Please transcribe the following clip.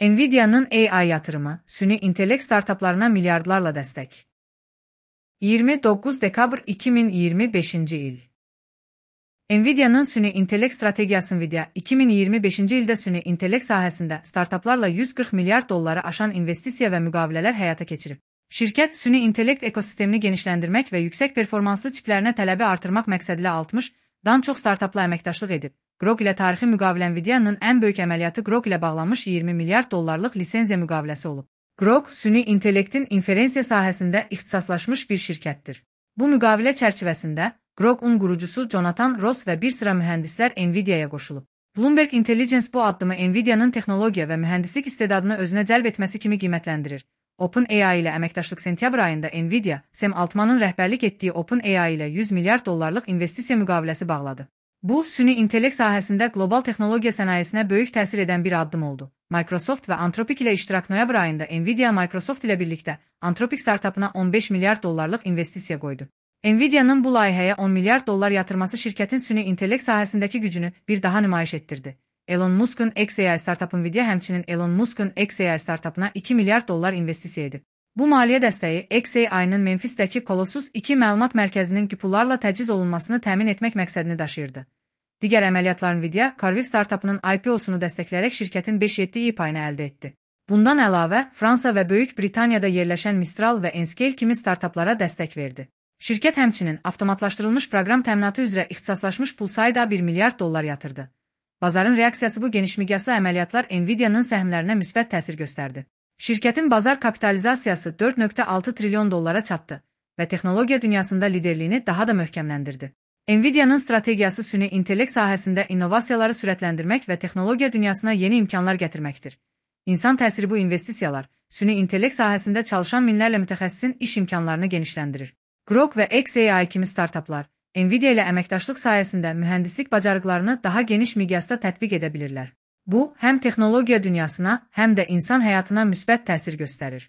Nvidia'nın AI yatırımı, süni intellekt startuplarına milyardlarla dəstək. 29 dekabr 2025 il. Nvidia'nın süni intellekt strategiyası Nvidia, 2025-ci ildə süni intellekt sahəsində startuplarla 140 milyard dolları aşan investisiya və müqavilələr həyata keçirib. Şirkət, süni intellekt ekosistemini genişləndirmək və yüksək performanslı çiplərinə tələbi artırmaq məqsədilə 60-dan çox startupla əməkdaşlıq edib. Grok ilə tarixi müqavilə Nvidia'nın ən böyük əməliyyatı Grok ilə bağlanmış 20 milyard dollarlıq lisenziya müqaviləsi olub. Grok, süni intellektin inferensiya sahəsində ixtisaslaşmış bir şirkətdir. Bu müqavilə çərçivəsində Grok'un qurucusu Jonathan Ross və bir sıra mühəndislər Nvidia'ya qoşulub. Bloomberg Intelligence bu addımı Nvidia'nın texnologiya və mühəndislik istedadını özünə cəlb etməsi kimi qiymətləndirir. OpenAI ilə əməkdaşlıq sentyabr ayında Nvidia, Sam Altmanın rəhbərlik etdiyi OpenAI ilə 100 milyard dollarlıq investisiya müqaviləsi bağladı. Bu, süni intellekt sahəsində qlobal texnologiya sənayesinə böyük təsir edən bir addım oldu. Microsoft və Anthropic ilə iştirak noyabr ayında Nvidia Microsoft ilə birlikdə Anthropic startupına 15 milyard dollarlıq investisiya qoydu. Nvidia'nın bu layihəyə 10 milyard dollar yatırması şirkətin süni intellekt sahəsindəki gücünü bir daha nümayiş etdirdi. Elon Musk'un xAI startup Nvidia həmçinin Elon Musk'un xAI startupına 2 milyard dollar investisiya edib. Bu maliyyə dəstəyi xAI-nın Memphisdəki Colossus 2 məlumat mərkəzinin pullarla təchiz olunmasını təmin etmək məqsədini daşıyırdı. Digər əməliyyatlar Nvidia, Carviv startupının IPO-sunu dəstəkləyərək şirkətin 5-7 payını əldə etdi. Bundan əlavə, Fransa və Böyük Britaniyada yerləşən Mistral və Enscale kimi startuplara dəstək verdi. Şirkət həmçinin avtomatlaşdırılmış proqram təminatı üzrə ixtisaslaşmış Pulsayda 1 milyard dollar yatırdı. Bazarın reaksiyası bu geniş miqyaslı əməliyyatlar Nvidia'nın səhmlərinə müsbət təsir göstərdi. Şirkətin bazar kapitalizasiyası 4,6 trilyon dollara çatdı və texnologiya dünyasında liderliyini daha da möhkəmləndirdi. Nvidia'nın strategiyası süni intellekt sahəsində innovasiyaları sürətləndirmək və texnologiya dünyasına yeni imkanlar gətirməkdir. İnsan təsiri bu investisiyalar, süni intellekt sahəsində çalışan minlərlə mütəxəssisin iş imkanlarını genişləndirir. Grok və xAI kimi startuplar, Nvidia ilə əməkdaşlıq sayəsində mühəndislik bacarıqlarını daha geniş miqyasda tətbiq edə bilirlər. Bu, həm texnologiya dünyasına, həm də insan həyatına müsbət təsir göstərir.